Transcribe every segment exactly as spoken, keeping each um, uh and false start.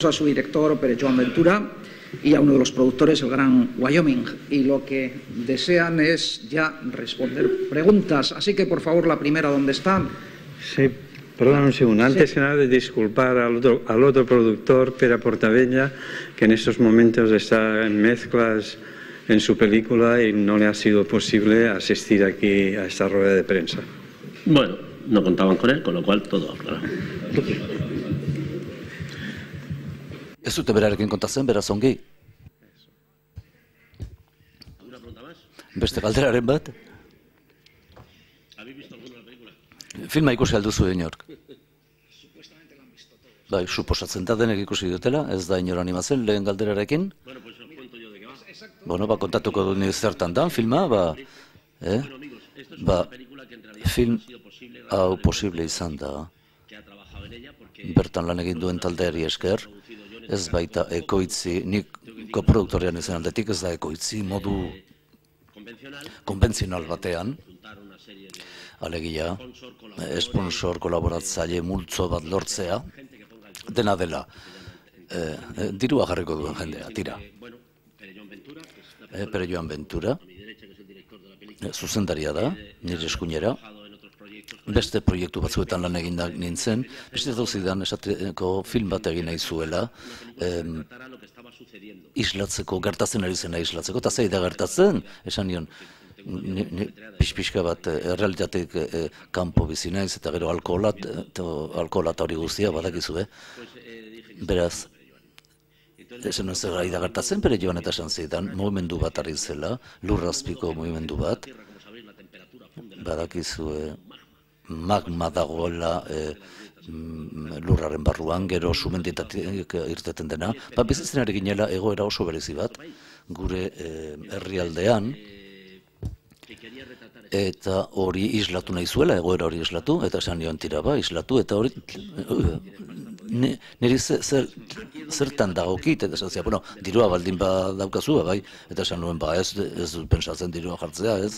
a su director, Pere Joan Ventura, y a uno de los productores, el gran Wyoming, y lo que desean es ya responder preguntas. Así que, por favor, la primera, ¿dónde está? Sí, perdón un segundo. Antes Sí. que nada, de disculpar al otro, al otro productor, Pere Portabella, que en estos momentos está en mezclas en su película y no le ha sido posible asistir aquí a esta rueda de prensa. Bueno, no contaban con él, con lo cual todo claro. Ez dute berarekin kontatzen, beraz ongi. ¿Alguna pregunta más? Beste galderaren bat. ¿Habéis visto alguna de la película? Filma ikusi alduzu inork. Bai, suposatzen da denek ikusi dutela, ez da inor animatzen lehen galderarekin. Bueno, pues os cuento yo de qué va. Bueno, ba, kontatuko du ni zertan da, filma, ba, eh? Bueno, amigos, esto es Ba, una película que en realidad film ha sido posible hau gracias posible izan da, que ha trabajado en ella porque bertan lan egin duen taldeari esker, ez baita ekoitzi, nik koproduktorean izan aldetik, ez da ekoitzi modu convencional konbentzional batean, juntar una serie de alegia, esponsor kolaboratzaile multzo bat lortzea, dena dela, eh, eh, dirua jarriko duen jendea, tira. bueno, Pere Joan Ventura, que es la Eh, Pere Joan Ventura, a mi derecha, que es el director de la película, eh, zuzendaria da, nire eskuinera, ha trabajado en otros proyectos. beste proiektu batzuetan lan egindak nintzen, beste dauzidan esateko film bat egin nahi zuela, em, Tratará lo que estaba sucediendo. islatzeko, gertatzen ari zena islatzeko, eta zei da gertatzen, esan nion, ni, ni, pixpixka bat eh, errealitateik eh, kanpo bizi naiz, eta gero alkoholat, eta alkoholat hori guztia badakizue, beraz, esan nuen zer ari da gertatzen, Pere Joan eta esan zidan, mugimendu bat ari zela, lurrazpiko mugimendu bat, Como sabéis, la temperatura funde. badakizue magma dagoela e, mm, lurraren barruan, gero sumenditatik irteten dena, ba, bizitzen ari ginela egoera oso berezi bat, gure e, herrialdean, eta hori islatu nahi zuela, egoera hori islatu, eta esan nion tira ba, islatu, eta hori ni- niri ze- zer, zertan dagokit, eta esan zia, bueno, dirua baldin ba daukazu, bai, eta esan nuen, ba, ez, ez dut pentsatzen dirua jartzea, ez,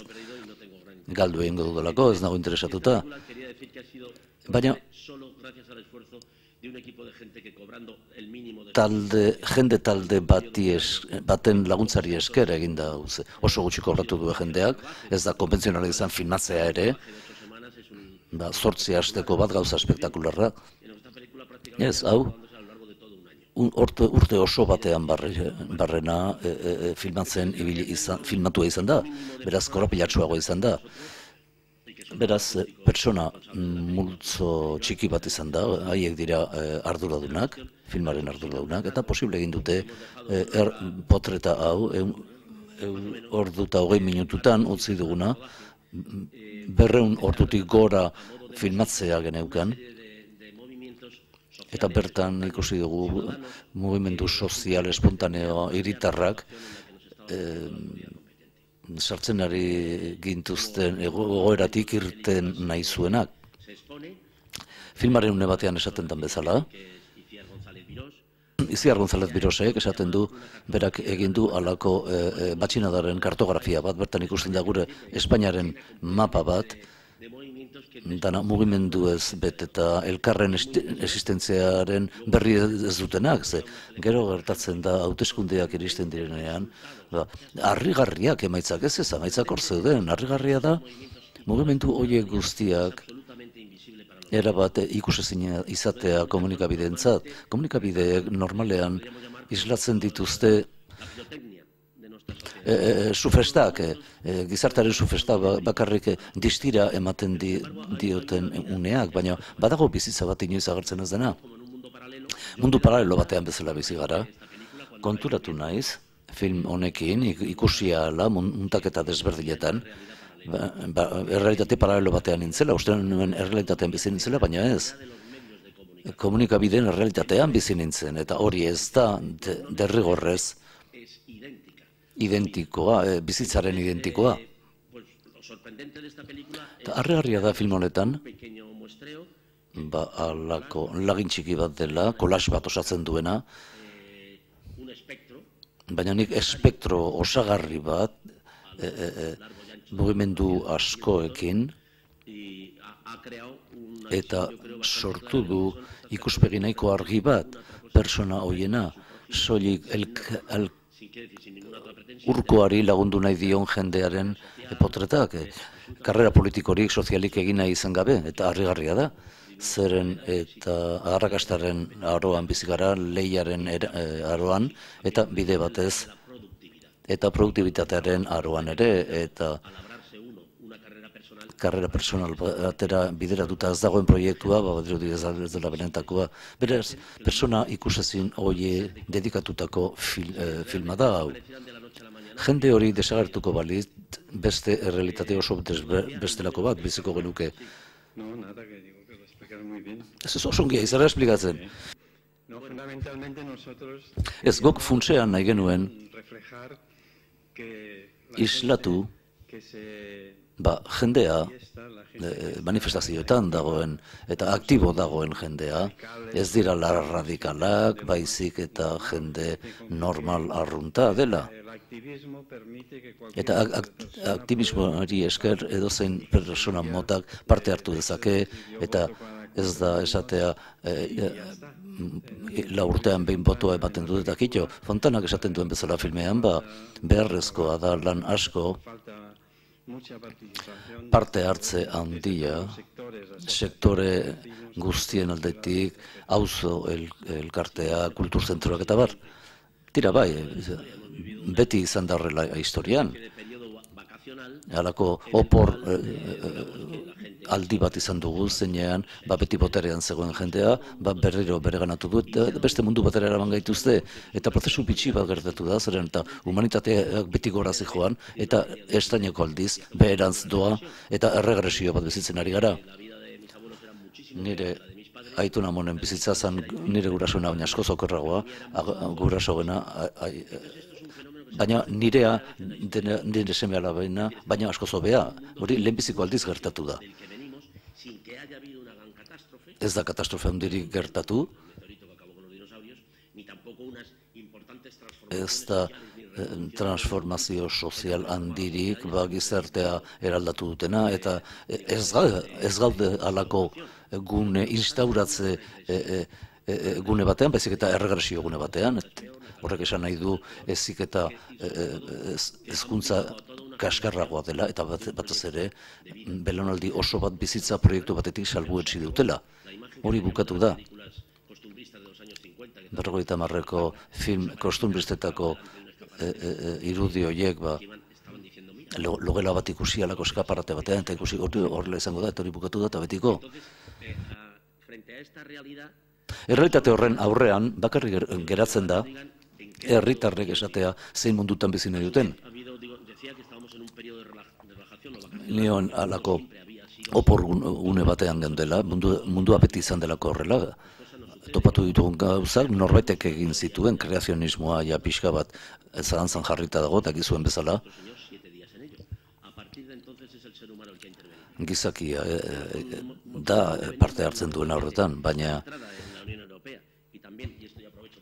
galdu egingo dudalako, ez nago interesatuta, Quería decir que ha sido baina solo gracias al esfuerzo de un equipo de gente que cobrando el mínimo de talde, jende talde bati es, baten laguntzari esker egin da, uze, oso gutxi kobratu du jendeak, ez da konbentzionala izan filmatzea ere, ocho semanas es un ba, zortzi hasteko bat gauza espektakularra, en esta película prácticamente ez, hau, dándose a lo largo de todo un año. un, urte, urte oso batean barre, barrena e, e, e, filmatzen ibili izan, filmatua izan da, beraz korapilatsuago izan da. Beraz, eh, pertsona mm, multzo txiki bat izan da, haiek dira eh, arduradunak, filmaren arduradunak, eta posible egin dute eh, er, potreta hau, eun, eun ordu eta hogei minututan utzi duguna, mm, berreun ordutik gora filmatzea geneukan, eta bertan ikusi dugu mugimendu sozial espontaneo hiritarrak, eh, sartzen ari gintuzten egoeratik irten nahi zuenak. Filmaren une batean esaten den bezala, Iciar González Virós, Iziar González Birosek esaten du, berak egin du halako e, e, matxinadaren kartografia bat, bertan ikusten da gure Espainiaren mapa bat, de movimientos que dana mugimendu ez bet eta elkarren esti- existentziaren berri ez dutenak, ze gero gertatzen da hauteskundeak iristen direnean, ba, harrigarriak emaitzak ez ez, emaitzak hor zeuden, harrigarria da, mugimendu horiek guztiak erabat ikusezina izatea komunikabideentzat. Komunikabideek normalean islatzen dituzte E, e, sufestak, e, e, gizartaren sufestak ba- bakarrik e, distira ematen di, dioten uneak, baina badago bizitza bat inoiz agertzen ez dena. Mundu paralelo batean bezala bizi gara. Konturatu naiz, film honekin, ik- ikusi ahala mun- muntaketa desberdinetan, ba, ba, errealitate paralelo batean nintzela, uste nuen errealitatean bizi nintzela, baina ez. Komunikabideen errealitatean bizi nintzen, eta hori ez da de, derrigorrez identikoa, e, bizitzaren identikoa. pues lo sorprendente de esta película es Eta harrigarria da film honetan, un pequeño muestreo, ba, alako lagin txiki bat dela, kolas bat osatzen duena, un espectro baina nik espektro osagarri bat, e, e, e, mugimendu askoekin, y ha, ha creado una eta sortu du ikuspegi nahiko argi bat, persona hoiena, soilik urkoari lagundu nahi dion jendearen potretak, karrera politikorik, sozialik egin nahi izan gabe, eta harrigarria da. Zeren eta arrakastaren aroan bizigara, lehiaren aroan, eta bide batez, eta produktibitatearen aroan ere, eta karrera personal batera bideratuta ez dagoen proiektua, badirudi ez dela benetakoa. Beraz, persona ikusezin hoie dedikatutako filma da hau. Jende hori desagertuko baliz, beste errealitate oso bestelako bat biziko genuke. Ez ez oso ongia, izara esplikatzen. Ez gok funtsean nahi genuen islatu ba, jendea manifestazioetan dagoen eta aktibo dagoen jendea, ez dira radikalak, baizik eta jende normal arrunta dela. Eta aktivismoari esker edozein persona motak parte hartu dezake, eta ez da esatea la urtean behin botoa ematen dut eta kitxo. Fontanak esaten duen bezala filmean, ba, beharrezkoa da lan asko, parte hartze handia, sektore guztien aldetik, auzo elkartea, kulturzentroak eta bar. Tira bai, beti izan da horrela historian. Halako opor aldi bat izan dugu zeinean, ba beti boterean zegoen jendea, ba berriro bereganatu du, eta beste mundu batera eraman gaituzte, eta prozesu bitxi bat gertatu da, zeren eta humanitateak beti gora zijoan, eta estaineko aldiz, beherantz doa, eta erregresio bat bizitzen ari gara. Nire aituna monen bizitza zen nire gurasoena, baina askoz okerragoa, gurasoena, baina nirea, nire seme alabaina, baina askoz hobea, hori lehenbiziko aldiz gertatu da. Ez da katastrofe handirik gertatu, ez da transformazio sozial handirik gizartea eraldatu dutena, eta ez gaude halako gune instauratze gune batean, baizik eta erregresio gune batean. Horrek esan nahi du ezik eta hezkuntza kaskarragoa dela, eta batez ere belaunaldi oso bat bizitza proiektu batetik salbuetsi dutela. Hori bukatu da. Berrogeita hamarreko film kostumbristetako irudi horiek, logela bat ikusi alako eskaparate batean, eta ikusi horrela izango da, eta hori bukatu da, eta betiko. Errealitate horren aurrean, bakarrik geratzen da, herritarrek esatea zein mundutan bizi nahi duten. Nion alako opor gune batean gendela, mundua beti izan delako horrela, topatu ditugun gauzak, norbaitek egin zituen, kreazionismoa ja pixka bat zalantzan jarrita dago, eta gizuen bezala. Gizakia da parte hartzen duen horretan, baina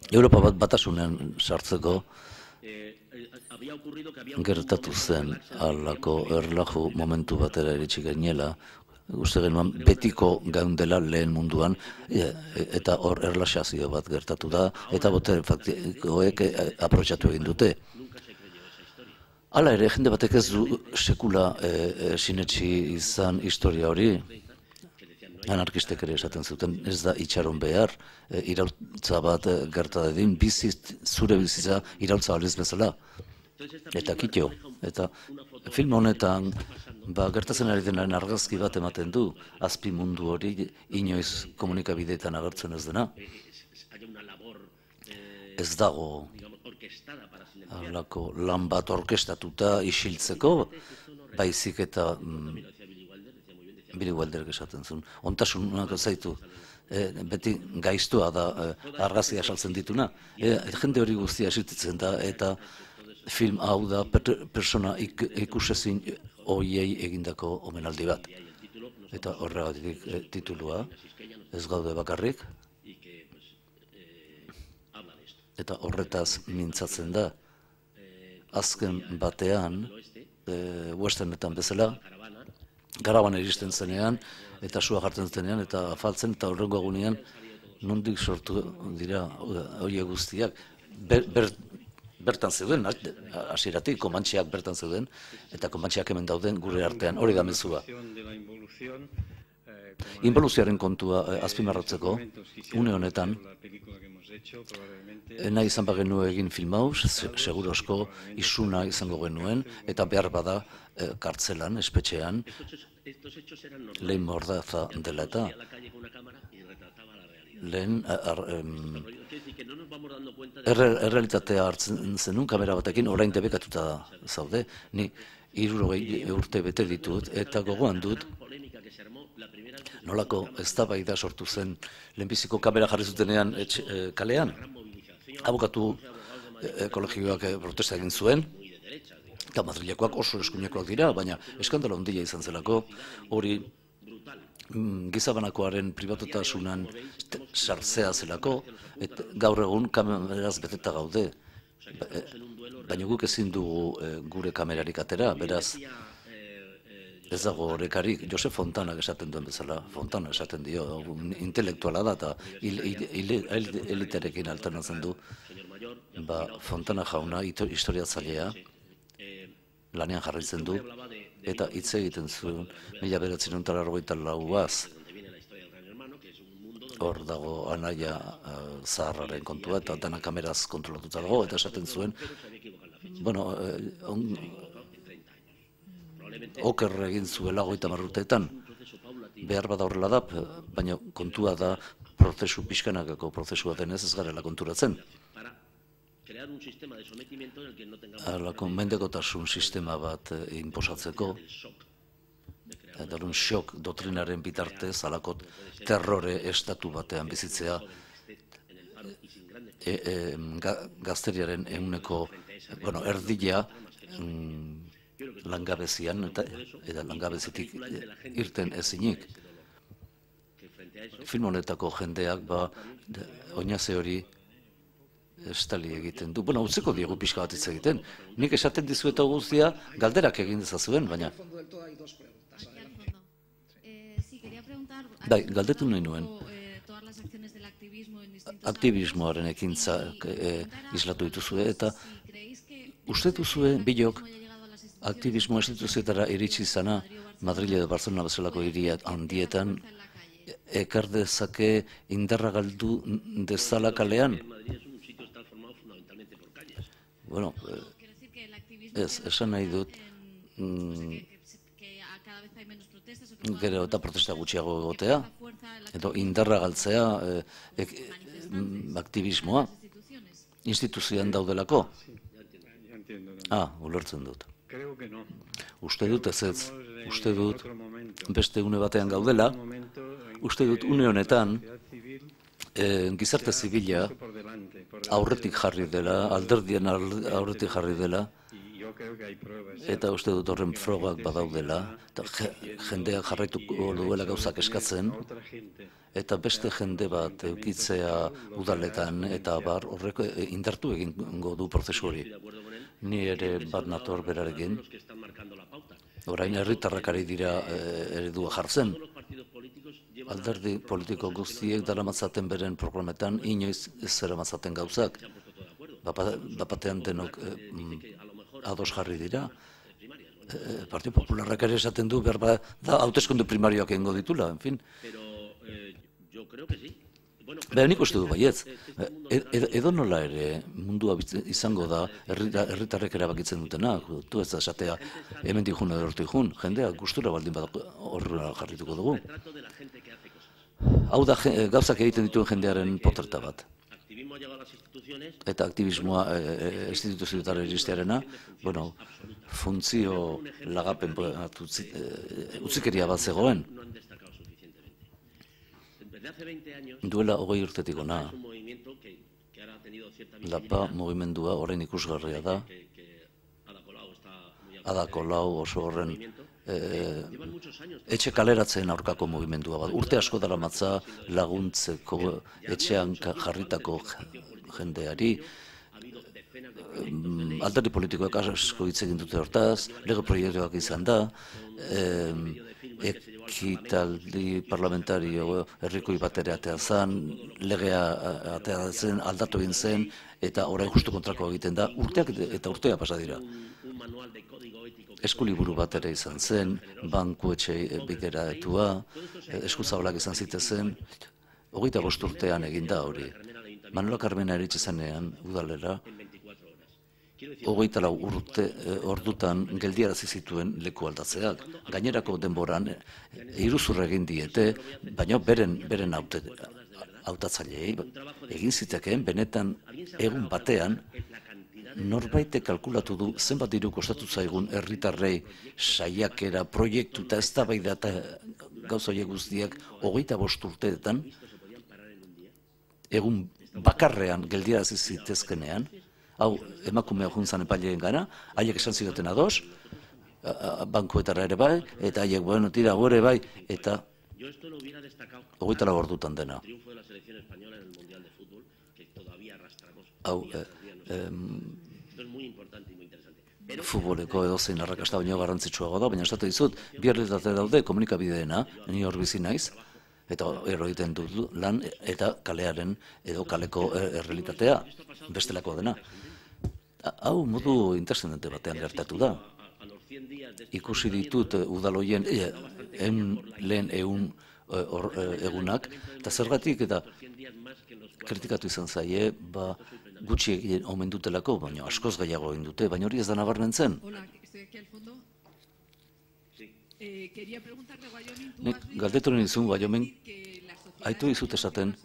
Europa bat batasunean sartzeko gertatu zen alako erlaju momentu batera iritsi gainela, uste genuen betiko gaundela lehen munduan, eta hor erlaxazio bat gertatu da, eta botere faktikoek aprotxatu egin dute. Hala ere, jende batek ez du sekula sinetsi izan historia hori, anarkistek ere esaten zuten, ez da itxaron behar, iraultza bat gerta dadin, zure bizitza iraultza baliz bezala. Eta kitxo, eta film honetan gertatzen ari denaren argazki bat ematen du, azpi mundu hori inoiz komunikabideetan agertzen ez dena. Ez dago halako lan bat orkestatuta isiltzeko, baizik eta Billy Wilderek esaten zuen, ontasunak zaitu, beti gaiztua da argazia saltzen dituna. Jende hori guztia esititzen da, eta film hau da persona ikusezin hoiei egindako omenaldi bat. Eta horregatik titulua, ez gaude bakarrik, eta horretaz mintzatzen da, azken batean, westernetan bezala, garaban iristen zenean, eta sua jartzen zenean, eta afaltzen, eta horrengo egunean, nondik sortu dira horiek guztiak, ber, ber, bertan zeuden, hasieratik Komantxeak bertan zeuden, eta Komantxeak hemen dauden gure artean, hori da mezua. Involuzioaren kontua eh, azpimarratzeko, une honetan, nahi izan bagenu egin film hau, segurosko isuna izango genuen, eta behar bada eh, kartzelan, espetxean, lehen mordaza dela eta lehen errealitatea hartzen zenun kamera batekin, orain debekatuta zaude, ni hirurogei urte bete ditut, eta gogoan dut, nolako eztabaida sortu zen lehenbiziko kamera jarri zutenean kalean. Abokatu ekologikoak protesta egin zuen, eta Madrilekoak oso eskuinekoak dira, baina eskandalo handia izan zelako, hori gizabanakoaren pribatutasunan sartzea zelako, eta gaur egun kameraz beteta gaude, baina guk ezin dugu gure kamerarik atera, beraz, ez dago horrekarik, Josef Fontanak esaten duen bezala, Fontana esaten dio, intelektuala da eta elitearekin alternatzen du, ba, Fontana jauna historiatzailea lanean jarraitzen du, eta hitz egiten zuen, mila bederatziehun eta laurogeita lauaz, hor dago anaia zaharraren kontua, eta dana kameraz kontrolatuta dago, eta esaten zuen, bueno, oker egin zuela hogeita hamar urteetan, behar bada horrela da, baina kontua da prozesu pixkanakako prozesua denez ez garela konturatzen. Halako mendekotasun sistema bat inposatzeko, eta un shock doktrinaren bitartez, halako terrore estatu batean bizitzea, gazteriaren ehuneko, bueno, erdila, langabezian eta, eta langabezitik irten ezinik. Film honetako jendeak ba, oinaze hori estali egiten du. Bueno, utzeko diegu pixka bat hitz egiten. Nik esaten dizueta guztia galderak egin dezazuen, baina. Bai, galdetu nahi nuen. Aktivismoaren ekintza eh, islatu dituzue eta uste duzue bilok aktivismo instituzioetara iritsi izana Madrile edo Barcelona bezalako hiri handietan ekar dezake indarra galdu dezala kalean? Bueno, ez, esan nahi dut, gero eta protesta gutxiago egotea, edo indarra galtzea aktivismoa, instituzioan daudelako. Ah, ulertzen dut. Uste dut ez ez, uste dut beste une batean gaudela, uste dut une honetan gizarte zibila aurretik jarri dela, alderdien aurretik jarri dela, eta uste dut horren frogak badaudela, jendeak jarraituko duela gauzak eskatzen, eta beste jende bat eukitzea udaletan, eta bar horrek indartu egingo du prozesu hori. Ni ere bat nator berarekin, orain herritarrak ari dira eredua jartzen. Alderdi politiko guztiek daramatzaten beren programetan inoiz ez zeramatzaten gauzak. Bapatean denok ados jarri dira. Partido Popularrak ere esaten du, behar da hauteskunde primarioak egingo ditula, en fin. Baina nik uste du baietz, edo nola ere mundua izango da herritarrek erabakitzen dutena, du ez da esatea hemen dijun edo hortu dijun, jendea gustura baldin badak horrela jarrituko dugu. Hau da gauzak egiten dituen jendearen poterta bat. Eta aktivismoa instituzioetara iristearena, bueno, funtzio lagapen utzikeria bat zegoen. Duela hogei urtetik ona, Lapa mugimendua orain ikusgarria da, Ada Colau oso horren etxe kaleratzen aurkako mugimendua bat. Urte asko daramatza laguntzeko etxean jarritako jendeari, alderdi politikoak asko hitz egin dute hortaz, lege proiektuak izan da, ekitaldi parlamentario herrikoi bat ere atea zen, legea atea zen, aldatu egin zen, eta orain justu kontrakoa egiten da, urteak eta urtea pasa dira. Eskuliburu bat ere izan zen, banku etxe bideratua, eskuzabalak izan zitezen, hogeita bost urtean egin da hori. Manuela Carmena eritxe zenean, udalera, hogeita lau urte ordutan geldiarazi zituen leku aldatzeak. Gainerako denboran iruzurra egin diete, baina beren beren hautatzaileei egin zitekeen benetan egun batean norbaitek kalkulatu du zenbat diru kostatu zaigun herritarrei saiakera, proiektu eta eztabaida eta gauza horiek guztiak hogeita bost urteetan egun bakarrean geldiarazi zitezkenean. Hau, emakumea juntzan epaileen gana, haiek esan zidaten ados, bankuetara ere bai, eta haiek, bueno, tira, gore bai, eta hogeita lau ordutan dena. Hau, futboleko edozein arrakasta baino garrantzitsuago da, baina esate dizut, bi errealitate daude komunikabideena, ni hor bizi naiz, eta ero egiten dut lan, eta kalearen edo kaleko errealitatea, bestelakoa dena. Hau modu interesante batean gertatu da. Ikusi ditut udaloien lehen egun egunak, eta zergatik eta kritikatu izan zaie, gutxi egin omen dutelako, baina askoz gehiago egin dute, baina hori ez da nabarmentzen. Galdetu nizun, Wyoming, haitu dizut esaten,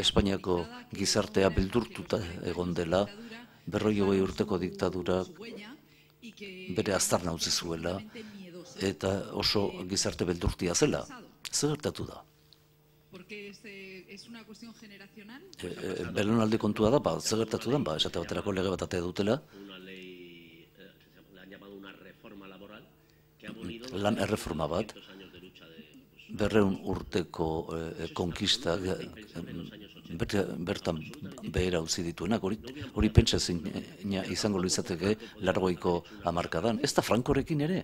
Espainiako gizartea beldurtuta egon dela, berroi hogei urteko diktadurak bere aztarna utzi zuela, eta oso gizarte beldurtia zela. Zer gertatu da? Belaunaldi kontua da, zer gertatu da, esate baterako lege bat atea dutela, lan erreforma bat, berreun urteko konkistak bertan behera utzi dituenak, hori pentsa izango izateke largoiko hamarkadan. Ez da Frankorekin ere?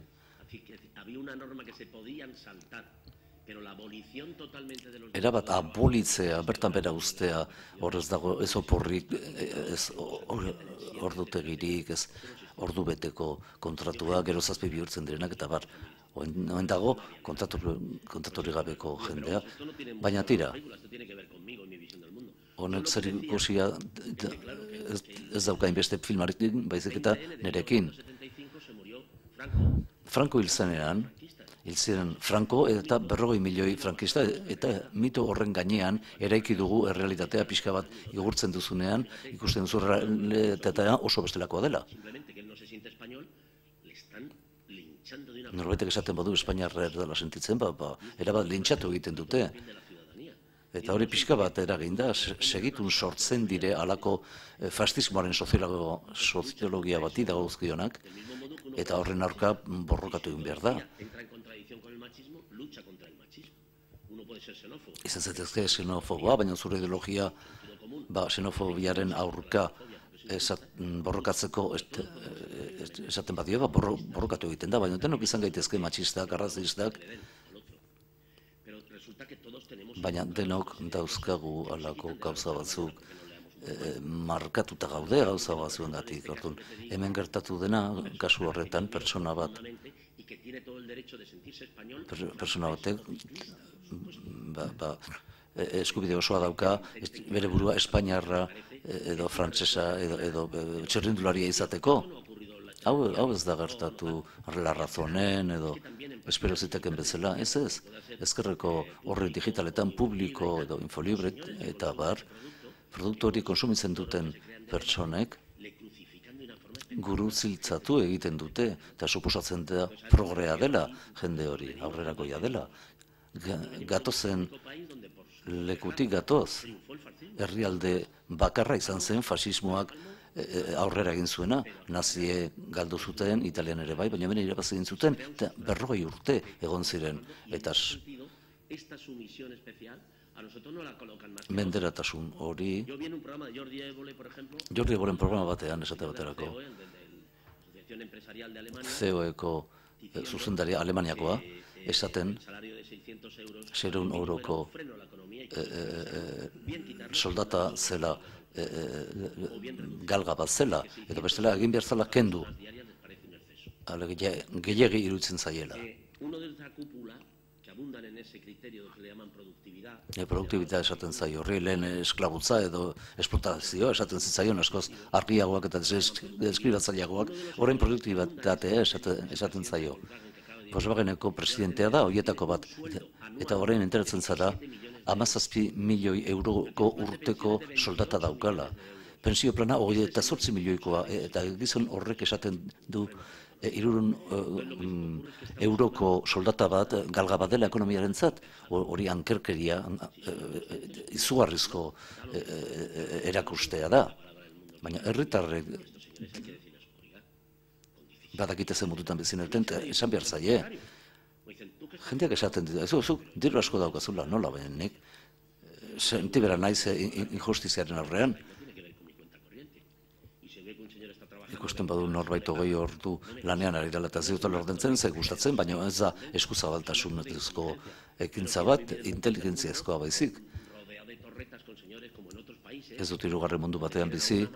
Erabat abolitzea, bertan bera ustea, hor ez dago ez oporrik, ez ordutegirik, ez ordu beteko kontratua, gero zazpi bihurtzen direnak, eta bar, oen dago kontratori gabeko jendea, baina tira, honek zer ikusia ez daukain beste filmarekin, baizik eta nerekin. Franco hil zenean, hil ziren Franco eta berrogei milioi frankista, eta mito horren gainean eraiki dugu errealitatea pixka bat igurtzen duzunean, ikusten duzu errealitatea oso bestelakoa dela. Norbaitek esaten badu Espainiarra erdala sentitzen, erabat lintxatu egiten dute. Eta hori pixka bat eragin da, segitun sortzen dire alako fascismoaren soziologia bati dagozkionak, eta horren aurka borrokatu egin behar da. Izan zetezke xenofoboa, baina zure ideologia xenofobiaren aurka borrokatzeko esaten badio, borrokatu egiten da, baina denok izan gaitezke matxistak, arrazistak, baina denok dauzkagu alako gauza batzuk markatuta gaude gauza batzuengatik. Hemen gertatu dena, kasu horretan, pertsona bat, pertsona batek, eskubide osoa dauka, bere burua Espainiarra edo frantsesa edo txirrindularia izateko. Hau ez da gertatu Larrazonen edo espero ziteken bezala, ez ez. Ezkerreko horri digitaletan publiko edo infolibre eta bar, produktu hori konsumitzen duten pertsonek guru ziltzatu egiten dute, eta suposatzen da progrea dela jende hori, aurrerakoia dela. Gatozen lekutik gatoz, herrialde bakarra izan zen fasismoak aurrera egin zuena, nazie galdu zuten, italian ere bai, baina bene irabaz egin zuten, eta berrogei urte egon ziren, eta menderatasun hori, Jordi Évole programa batean esate baterako, C E O-eko zuzendaria Alemaniakoa, esaten seiehun euroko soldata zela, galga bat zela, edo bestela egin behar zela kendu. Gehiagi iruditzen zaiela. Produktibitatea esaten zaio, horri lehen esklabutza edo esplotazio esaten zitzaion, askoz argiagoak eta deskribatzaileagoak, horrein produktibitatea esaten zaio. Volkswageneko presidentea da, horietako bat, eta horrein enteratzen zara, hamazazpi milioi euroko urteko soldata daukala. Pensio plana hori eta zortzi milioikoa, eta gizon horrek esaten du hirurehun euroko soldata bat, galga bat dela ekonomiaren zat, hori ankerkeria, izugarrizko erakustea da. Baina herritarrek badakite zen mututan bezineten, esan behar zaie. Jendeak esaten dira, zuk diru asko daukazula, nola, baina nik sentibera naiz injustiziaren aurrean. Ikusten badu norbait hogei ordu lanean ari dela eta ziutela ordentzen, ze gustatzen, baina ez da eskuzabaltasunezko ekintza bat, inteligentziazkoa baizik. Ez dut hirugarren mundu batean bizi,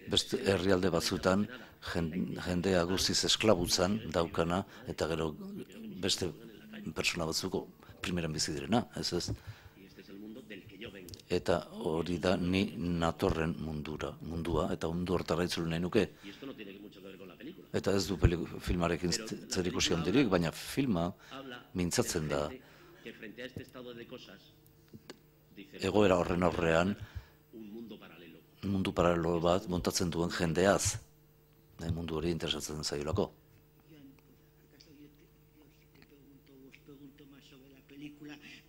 beste herrialde batzutan jendea guztiz esklabutzan daukana, eta gero beste pertsona batzuko primeran bizi direna, ez ez? Eta hori da ni natorren mundura, mundua, eta mundu hortara itzulu nahi nuke. Eta ez du filmarekin zerikusi handirik, baina filma mintzatzen da egoera horren aurrean mundu paralelo bat montatzen duen jendeaz, mundu hori interesatzen zaiolako.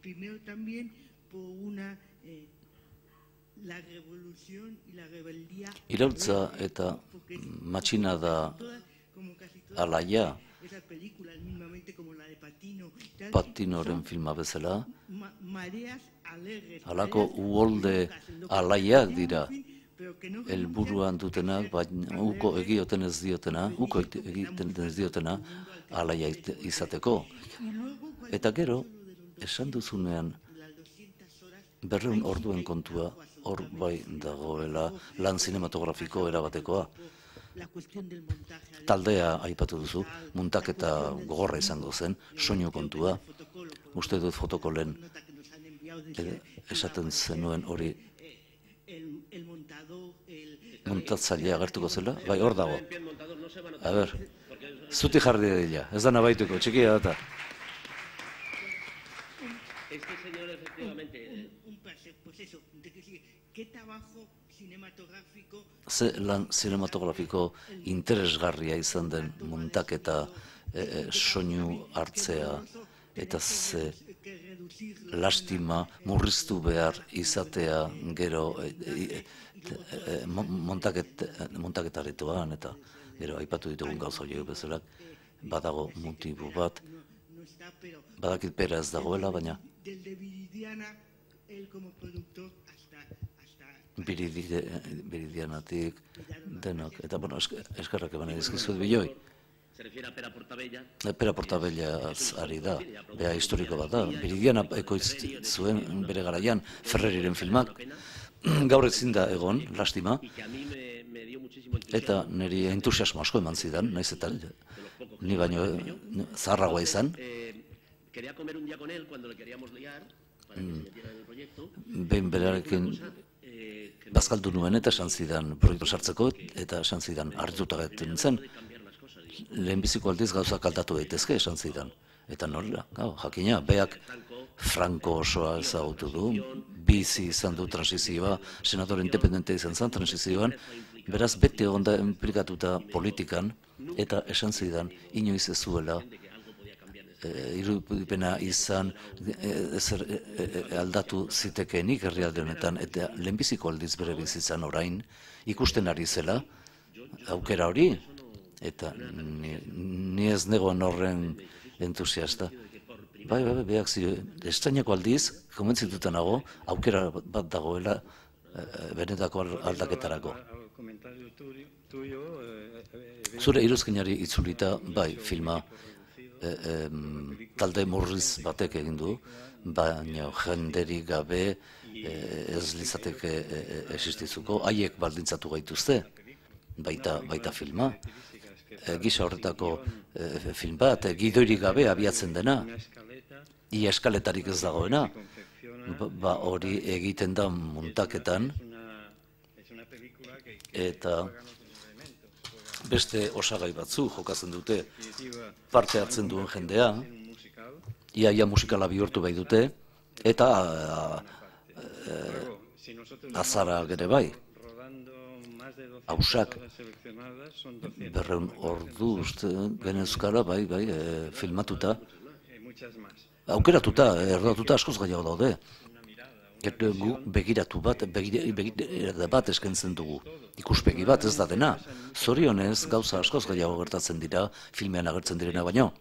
Primero también por una eh, la revolución y la rebeldía. Iraultza eta matxinada alaia, Patinoren filma bezala, halako uholde alaiak dira, helburuan dutenak, baina uko egioten ez diotena, uko egiten ez diotena alaia izateko. Eta gero, esan duzunean, berreun orduen kontua, hor bai dagoela lan zinematografiko erabatekoa. Taldea aipatu duzu, muntaketa gogorra izango zen, soinu kontua. Uste dut fotokolen esaten zenuen hori muntatzailea agertuko zela? Bai, hor dago. A ber, zuti jarri dira, ez da nabaituko, txikia data. Este señor, efectivamente... Un placer, pues eso, de decir, ¿qué trabajo cinematográfico... Ze lan cinematografiko interesgarria izan den muntaketa, soinu hartzea, eta ze lastima murriztu behar izatea gero montaketaretoan, eta gero aipatu ditugun gauza horiek bezala, badago motibo bat, badakit pera ez dagoela, baina Biridianatik denok, eta bueno, eskarrak eban edizkizuet biloi. Pera Portabella ari da, beha historiko bat da. Biridiana ekoitz zuen bere garaian Ferreriren filmak, gaur ezin da egon, lastima, eta niri entusiasmo asko eman zidan, naiz eta ni baino zaharragoa izan. Behin berarekin bazkaldu nuen eta esan zidan proiektu sartzeko, eta esan zidan hartuta gaitu nintzen, lehenbiziko aldiz gauzak aldatu daitezke esan zidan. Eta nola, jakina, beak Franco osoa ezagutu du, bizi izan du transizioa, senador independente izan zen transizioan, beraz bete onda implikatuta politikan, eta esan zidan inoiz ez zuela irudipena izan aldatu zitekeenik herrialde honetan, eta lehenbiziko aldiz bere bizitzan orain ikusten ari zela aukera hori, eta ni ez negoen horren entusiasta. Bai, bai, bai, behak zio, estrainako aldiz, konbentzituta nago, aukera bat dagoela benetako aldaketarako. Al comentario tuyo, Zure iruzkinari itzulita, bai, filma e, em, talde murriz batek egin du, baina jenderik gabe e, ez litzateke e, e, existizuko, haiek baldintzatu gaituzte, baita, baita filma. E, gisa horretako e, film bat, e, gidoirik gabe abiatzen dena, ia eskaletarik ez dagoena, ba hori egiten da muntaketan, eta beste osagai batzu jokatzen dute parte hartzen duen jendea, iaia musikala bihurtu bai dute, eta e, azara gere bai. Hausak berreun ordu uste genezkara, bai, bai, e, filmatuta, aukeratuta, erdatuta askoz gehiago daude. Gu begiratu bat, begiratu bat eskentzen dugu. Ikuspegi bat ez da dena. Zorionez, gauza askoz gehiago gertatzen dira, filmean agertzen direna baino.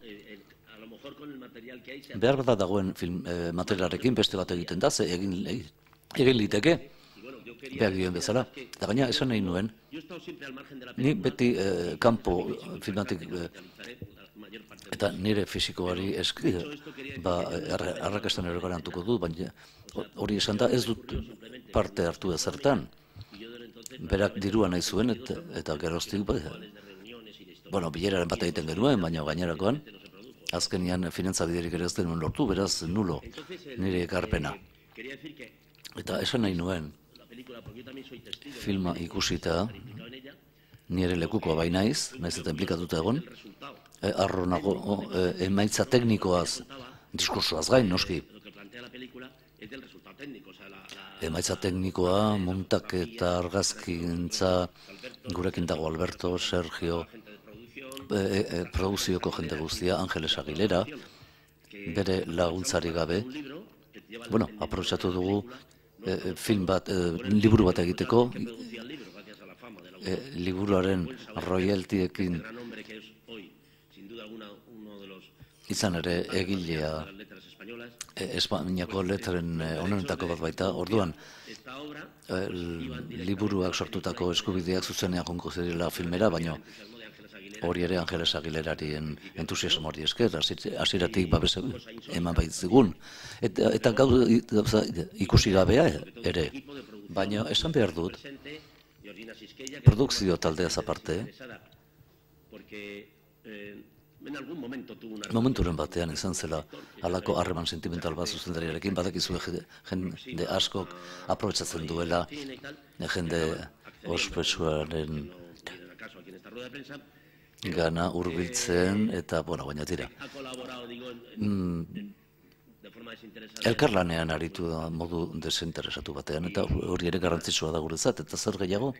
Behar da dagoen film, e, materialarekin beste bat egiten da, ze egin, egin liteke, behar dioen bezala. Eta gaina, esan nahi nuen, ni beti e, kanpo filmatik, e, eta nire fisikoari eski, ba, arrakastan ere garantuko du, baina hori esan da ez dut parte hartu ezertan. Berak dirua nahi zuen, eta, eta geroztik, ba, bueno, bileraren bat egiten genuen, baina gainerakoan, azkenian finantzabiderik ere ez denuen lortu, beraz nulo, nire ekarpena. Eta esan nahi nuen, filma ikusita, nire lekukoa bai naiz, naiz eta implikatuta egon, e, arro nago, o, e, emaitza teknikoaz, diskursoaz gain, noski. Emaitza teknikoa, muntaketa, argazkintza, gurekin dago Alberto, Sergio, e, e, produzioko jende guztia, Angeles Aguilera, bere laguntzari gabe, bueno, aprobetxatu dugu e, film bat, e, liburu bat egiteko, e, liburuaren royaltiekin izan ere egilea e, Espainiako letren onenetako bat baita, orduan e, liburuak sortutako eskubideak zuzenean jonko zirela filmera, baino hori ere Angeles Aguilerarien entusiasmo hori esker, hasieratik babes eman baitzigun. Eta, eta gauza ikusi gabea ere, baina esan behar dut, produkzio taldeaz aparte, momenturen batean izan zela halako harreman sentimental bat zuzendariarekin, badakizu jende askok aprobetxatzen duela jende ospetsuaren gana hurbiltzen eta, bueno, baina tira. Mm, elkarlanean aritu da modu desinteresatu batean, eta hori ere garrantzitsua da guretzat, eta zer gehiago?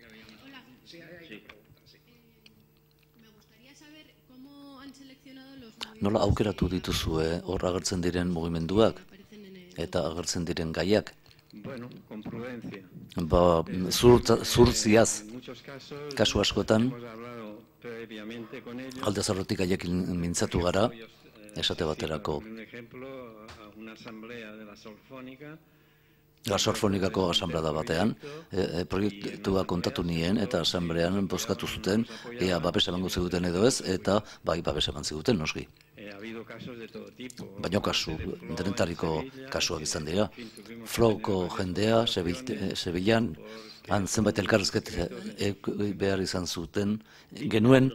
Nola aukeratu dituzue hor agertzen diren mugimenduak eta agertzen diren gaiak? Ba, zurtziaz, kasu askotan, alde zarrotik gaiekin mintzatu gara, esate baterako. La Sorfonikako asamblea batean, e, e, proiektua kontatu nien eta asamblean bozkatu zuten, ea babes emango ziguten edo ez, eta bai babes eman ziguten noski. Baina kasu, denetariko kasuak izan dira. Flowko jendea, Sevillan, han zenbait elkarrezket e, behar izan zuten, genuen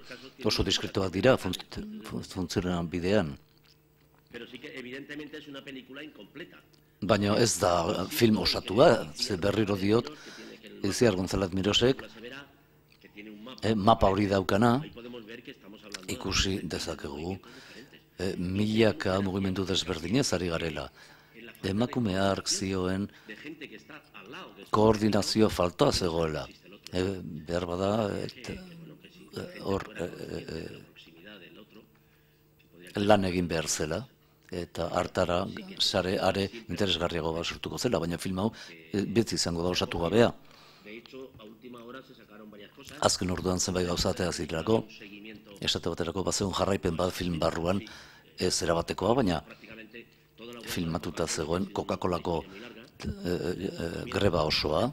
oso diskretoak dira funtzionan bidean. Baina ez da film osatua, ze berriro diot, Itziar González Mirosek, e, mapa hori daukana, ikusi dezakegu, e, milaka mugimendu desberdinez ari garela. Emakume hark zioen koordinazio faltoa zegoela. E, behar bada, hor e, e, e, lan egin behar zela, eta hartara sare are interesgarriago bat sortuko zela, baina film hau e, beti izango da osatu gabea. Azken orduan zenbait gauzatea zirelako, esate baterako bazeun jarraipen bat film barruan ez erabatekoa, baina filmatuta zegoen Coca-Colako e, e, greba osoa,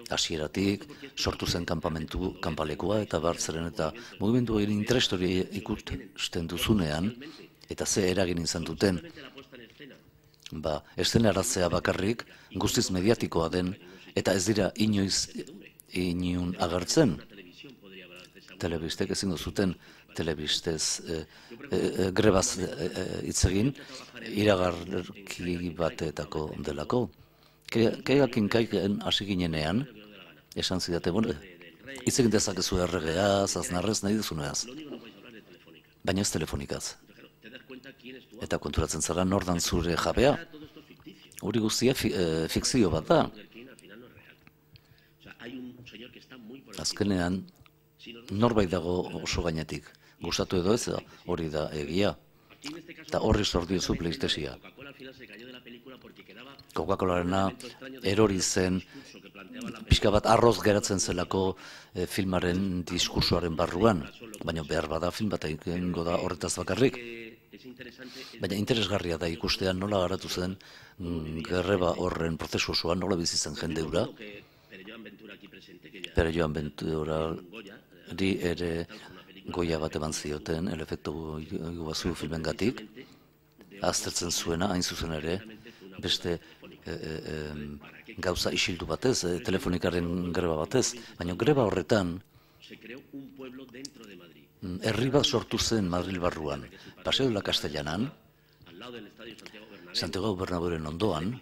hasieratik, sortu zen kanpamentu, kanpalekua eta bartzeren eta mugimendu egin interestori ikusten duzunean, eta ze eragin izan duten, ba, eszenaratzea bakarrik guztiz mediatikoa den, eta ez dira inoiz inun agertzen. Telebistek ezin duzuten telebistez e, e, grebaz hitz egin, iragarki batetako delako. Kaiakin kaiken hasi ginenean, esan zidate, bueno, hitz egin dezakezu erregeaz, aznarrez, nahi duzuneaz. Baina ez telefonikaz. Eta konturatzen zara nordan zure jabea. Hori guztia fi, e, fikzio bat da. Azkenean, norbait dago oso gainetik. Gustatu edo ez, hori da egia. Eta horri sordiozu PlayStationia. Coca-Colarena erori zen, pixka bat arroz geratzen zelako e, filmaren diskursoaren barruan, baina behar bada film bat egingo da horretaz bakarrik. Baina interesgarria da ikustean nola garatu zen mm, greba horren prozesu osoan, nola bizi zen jende hura. Pere Joan Venturari ere goia bat eman zioten, El efektu Iguazu filmengatik, aztertzen zuena, hain zuzen ere, beste e, e, e, gauza isildu batez, e, telefonikaren greba batez, baina greba horretan herri bat sortu zen Madril barruan, Paseo de la Castellanan, Santiago Bernabeuren ondoan,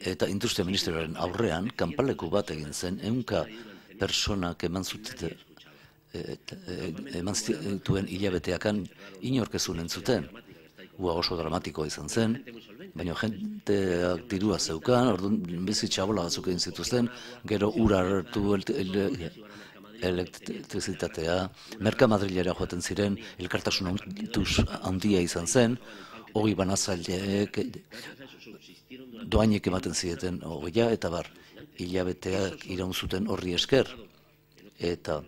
eta Industria Ministerioaren aurrean, kanpaleku bat egin zen, ehunka personak eman zuten, eman zituen hilabeteakan inorkezun entzuten. Ua oso dramatikoa izan zen, baina jenteak dirua zeukan, orduan bizi txabola batzuk egin zituzten, gero ura hartu elektrizitatea, Merka Madrilera joaten ziren, elkartasun handia izan zen, hori banazaileek doainek ematen zieten hogeia, eta bar, hilabeteak iraun zuten horri esker, eta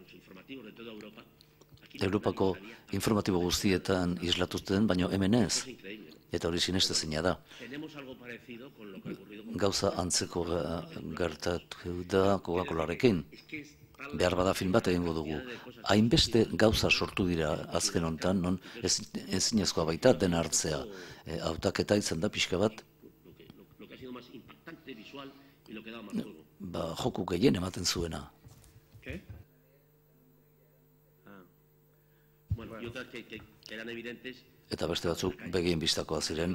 Europako informatibo guztietan islatuten, baina hemen ez, eta hori sinestezina da. Gauza antzeko gertatu da Coca-Colarekin. Behar bada film bat egingo dugu. Hainbeste gauza sortu dira azken honetan, non ezinezkoa baita dena hartzea. Hautaketa izan da pixka bat, ba, joku gehien ematen zuena. Eta beste batzuk begien bistakoa ziren,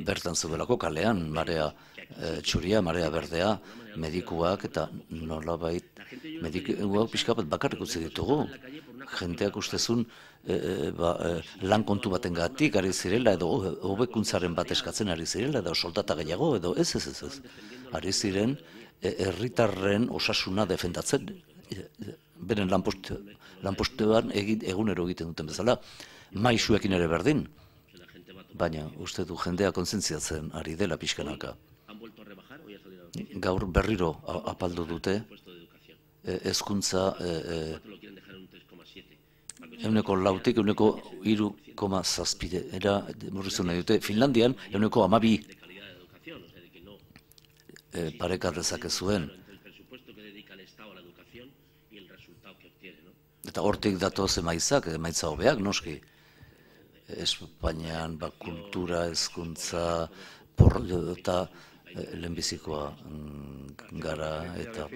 bertan zeudelako kalean, marea e, txuria, marea berdea, medikuak eta nolabait, medikuak pixka bat bakarrik utzi ditugu. Jenteak ustezun e, e, ba, e, lan kontu baten gatik ari zirela, edo hobekuntzaren bat eskatzen ari zirela, edo soldata gehiago, edo ez ez ez ez. Ari ziren, herritarren osasuna defendatzen, e, beren lanpostu, lanpostuan egunero egiten duten bezala, maisuekin ere berdin, baina uste du jendea kontzentziatzen ari dela pixkanaka. Gaur berriro apaldu dute hezkuntza ehuneko lautik ehuneko hiru koma zazpira murriztu nahi dute. Finlandian ehuneko hamabi pareka dezakezuen. Eta hortik datoz emaitzak, emaitza hobeak, noski. Espainian, ba, kultura, hezkuntza, porro eta lehenbizikoa gara, eta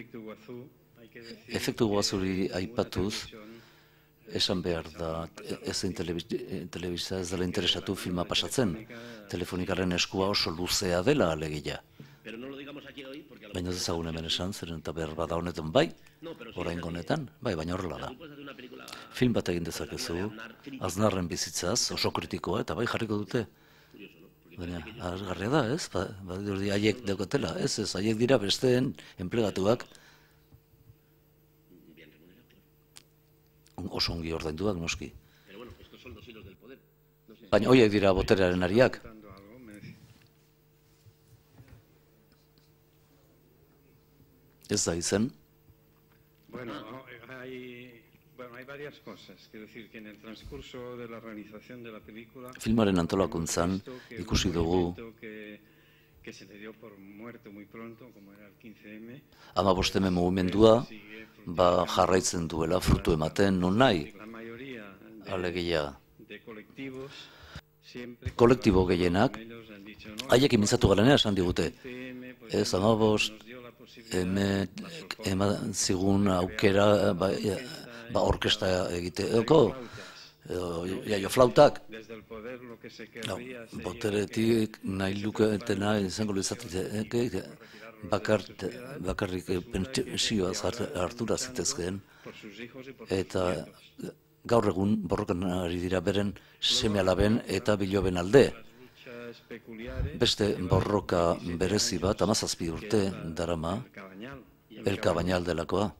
efektu Guazuri aipatuz, esan behar da, ezein telebista ez dela interesatu filma pasatzen. Telefonikaren eskua oso luzea dela alegia. Baina ez ezagun hemen esan, zeren eta behar bada honetan bai, orain honetan, bai, baina horrela da. Film bat egin dezakezu, Aznarren bizitzaz, oso kritikoa, eta bai jarriko dute. Baina, agarria da, ez? Ba, badirudi haiek daukatela, ez, ez, haiek dira besteen enplegatuak, oso ongi ordainduak, noski. Baina horiek dira boterearen ariak. Ez da izen. Bueno, hay, bueno, hay varias cosas. Quiero decir que en el transcurso de la realización de la película... Filmaren antolakuntzan ikusi dugu que se le dio por muerto muy pronto, como era el quince eme. Hamabosteme mugimendua ba jarraitzen duela frutu ematen non nahi. Alegia, kolektibo gehienak, haiekin mintzatu garenea esan digute. Ez, hamabost, eman zigun aukera ba, ba orkesta egiteeko, jaio flautak. No, boteretik nahi luketena izango lizatik bakarrik pentsioaz hartura zitezkeen, eta gaur egun borrokan ari dira beren seme-alaben eta biloben alde. Beste borroka berezi bat, hamazazpi urte darama, El Cabañal delakoa.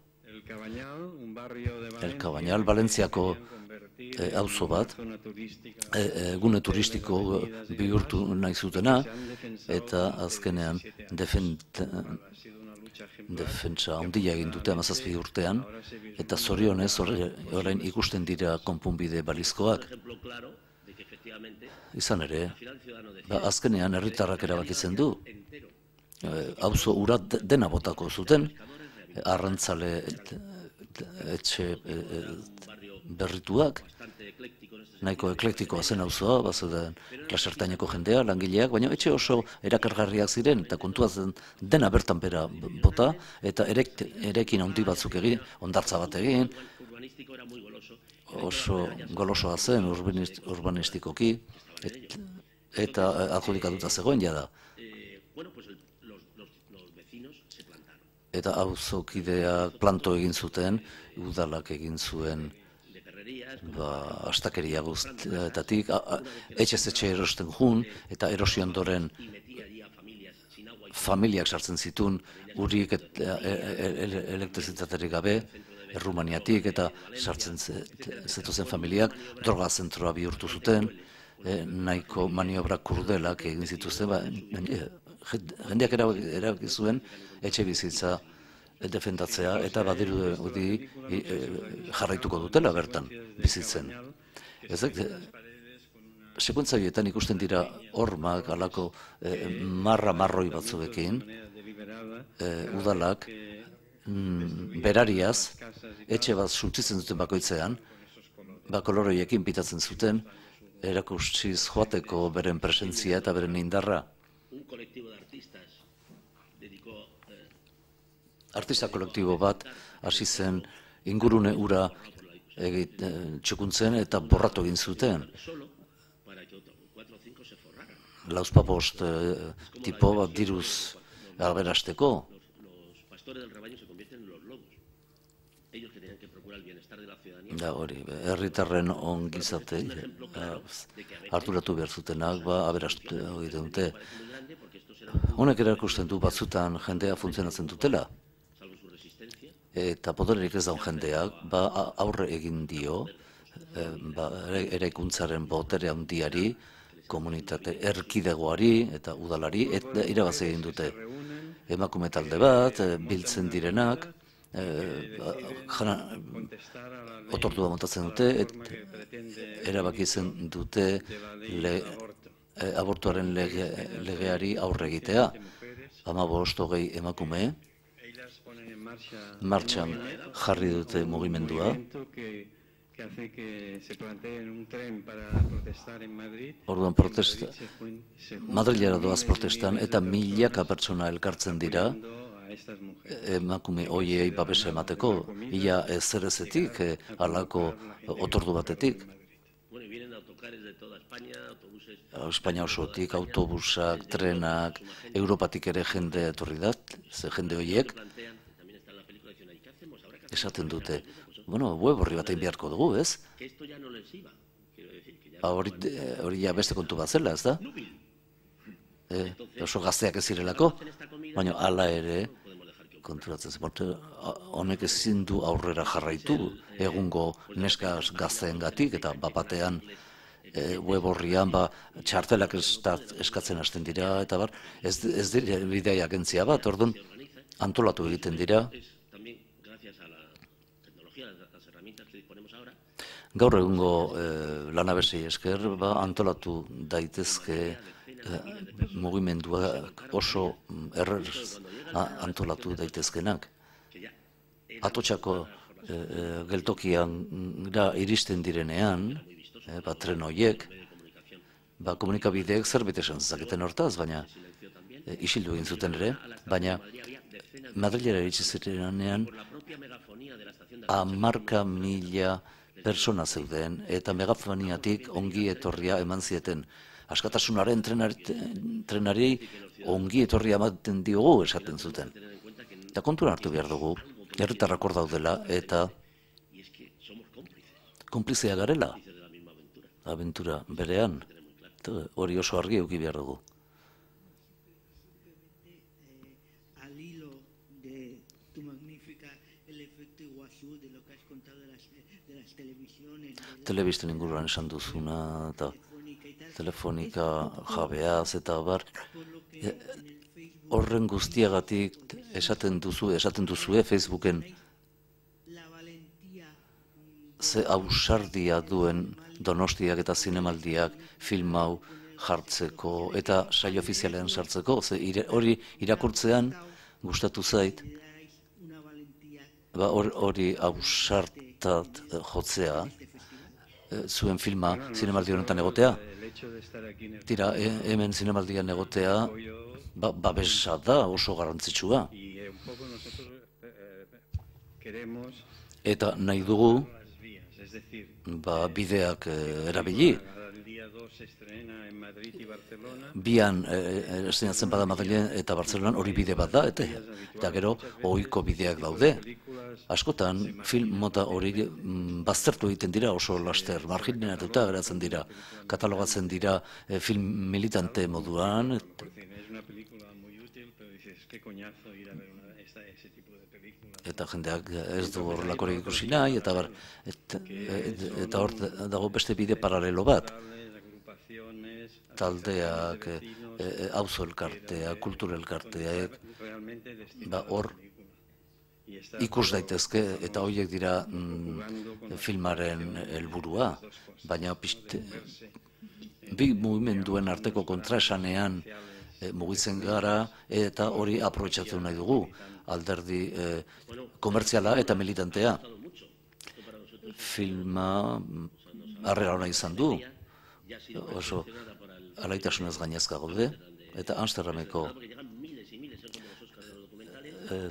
El Cabañal, Valentziako auzo bat, gune turistiko bihurtu nahi zutena, eta azkenean defentsa handia egin dute hamazazpi urtean, eta zorionez orain ikusten dira konponbide balizkoak. Izan ere, azkenean herritarrak erabakitzen du, auzo ura dena botako zuten, arrantzale etxe berrituak, nahiko eklektikoa zen auzoa, bazuden lasertaineko jendea, langileak, baina etxe oso erakargarriak ziren, eta kontua zen dena bertan bera bota, eta erekin handi batzuk egin, ondartza bat egin, oso golosoa zen urbanistikoki, eta adjudikatuta zegoen jada. Eta auzokideak planto egin zuten, udalak egin zuen astakeria guztietatik, etxez etxe erosten jun, eta erosi ondoren familiak sartzen zituen, urik elektrizitaterik gabe, Errumaniatik, eta sartzen zetozen familiak, droga zentroa bihurtu zuten, nahiko maniobra kurdelak egin zituzten, jendeak erabaki zuen etxe bizitza defendatzea, eta badirudi jarraituko dutela bertan bizitzen. Sekuentza horietan ikusten dira hormak, alako marra-marroi batzuekin, udalak, berariaz, etxe bat suntsitzen duten bakoitzean, bakoloroiekin pitatzen zuten, erakutsiz joateko beren presentzia eta beren indarra. Artista kolektibo bat hasi zen ingurune ura txukuntzen eta borratu egin zuten. Lauzpabost tipo bat diruz aberasteko. Da hori, herritarren ongizate harturatu behar zutenak, aberastu egiten dute. Honek erakusten du batzutan jendea funtzionatzen dutela. Eta podererik ez daun jendeak, aurre egin dio, eraikuntzaren botere handiari, komunitate erkidegoari eta udalari, eta irabaz egin dute. Emakume talde bat, biltzen direnak, otordua montatzen dute, erabakitzen dute abortuaren legeari aurre egitea. Hamabost hogei emakume, martxan jarri dute mugimendua. Orduan protesta, Madrilera doaz protestan, eta milaka pertsona elkartzen dira, emakume hoiei babesa emateko, ia ezerezetik, halako otordu batetik. Espainia osotik, autobusak, trenak, Europatik ere jende etorri da, ze jende horiek, esaten dute, bueno, web horri bat egin beharko dugu, ez? Hori ja beste kontu bat zela, ez da? Oso gazteak ez zirelako, baina hala ere, konturatzen zen, honek ezin du aurrera jarraitu, egungo neska gazteengatik, eta bapatean web horrian txartelak eskatzen hasten dira, eta bar, ez dira bidea agentzia bat, orduan antolatu egiten dira. Gaur egungo lanabesei esker antolatu daitezke mugimenduak oso errez antolatu daitezkenak. Atotxako geltokian da iristen direnean, ba, tren horiek, ba, komunikabideek zerbait esan zezaketen hortaz, baina isildu egin zuten ere, baina Madrilera iritsi zirenean hamarka mila persona zeuden eta megafoniatik ongi etorria eman zieten. Askatasunaren trenari ongi etorria ematen diogu esaten zuten. Eta kontuan hartu behar dugu, herritarrak hor daudela eta konplizea garela, abentura berean, hori oso argi eduki behar dugu. Telebisten inguruan esan duzuna, eta telefonika jabeaz, eta bar, horren guztiagatik esaten duzu, esaten duzue Facebooken ze ausardia duen Donostiak eta zinemaldiak film hau jartzeko eta saio ofizialean sartzeko, ze hori irakurtzean gustatu zait, hori ausartat jotzea, zuen filma zinemaldi honetan egotea. Tira, hemen zinemaldian egotea, babesa da oso garrantzitsua. Eta nahi dugu, bideak erabili. Bian estrenatzen bada Madrilen eta Bartzelonan hori bide bat da, eta gero ohiko bideak daude. Askotan film mota hori baztertu egiten dira oso laster, marginatuta geratzen dira, katalogatzen dira film militante moduan. Eta jendeak ez du horrelakorik ikusi nahi, eta hor dago beste bide paralelo bat. Taldeak, auzo elkarteak, kultur elkarteak, hor ikus daitezke, eta horiek dira filmaren helburua, baina bi mugimenduen arteko kontraesanean mugitzen gara, eta hori aprobetxatu nahi dugu, alderdi komertziala eta militantea. Filma harrera hona izan du, oso alaitasunez gainezka gaude, eta Amsterdameko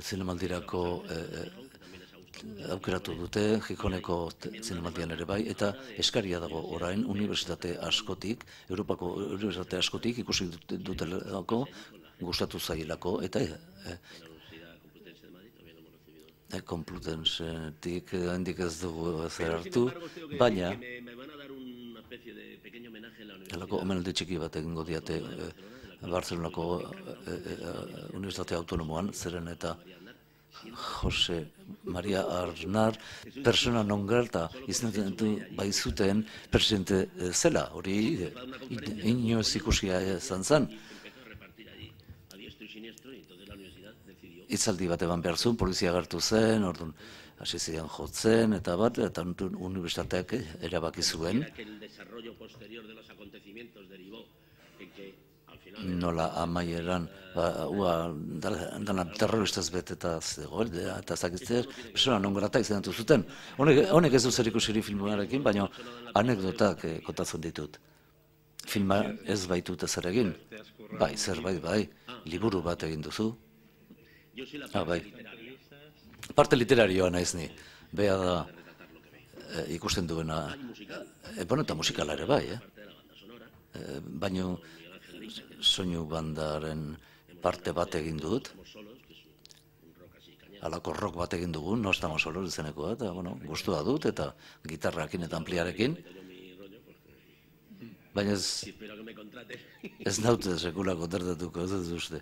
zinemaldirako aukeratu dute, Gijoneko zinemaldian ere bai, eta eskaria dago orain unibertsitate askotik, Europako unibertsitate askotik ikusi dutelako, gustatu zailako, eta Complutensetik handik ez dugu zer hartu, baina Halako omenaldi txiki bat egingo diate Bartzelonako Unibertsitate Autonomoan, zeren eta Jose Maria Arnar persona non grata izendetu baizuten presidente zela, hori inoiz ikusia izan zen. Hitzaldi bat eban behar zuen, polizia agertu zen, orduan hasi ziren jotzen, eta bat, eta unibertsitateak erabaki zuen. Nola amaieran, dana terroristaz beteta zegoen, eta zakitzer, persona non grata izenatu zuten. Honek ez du zer ikusiri filmarekin, baina anekdotak kontatzen ditut. Filma ez baitut ezer egin, bai, zerbait, bai, liburu bat egin duzu. Ah, bai. Parte literarioa naiz ni. Bea da ikusten duena, bueno, eta musikala ere bai, eh? Baina soinu bandaren parte bat egin dut. Halako rock bat egin dugu, no estamos solos izeneko, eta, bueno, gustua dut, eta gitarrakin eta ampliarekin. Baina ez, ez naute sekula kontrtatuko, ez ez uste.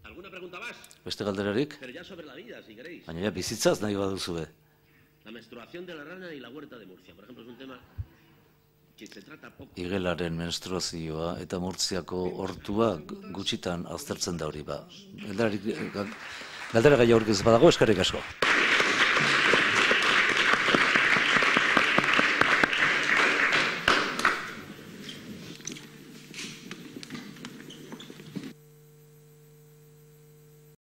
¿Alguna pregunta más? Beste galderarik? Pero ya sobre la vida, si queréis. Baina ja bizitzaz nahi baduzue. La menstruación de la rana y la huerta de Murcia, por ejemplo, es un tema que se trata poco. Igelaren menstruazioa eta Murtziako hortua gutxitan aztertzen da hori ba. Galdera gai aurkiz badago, eskerrik asko.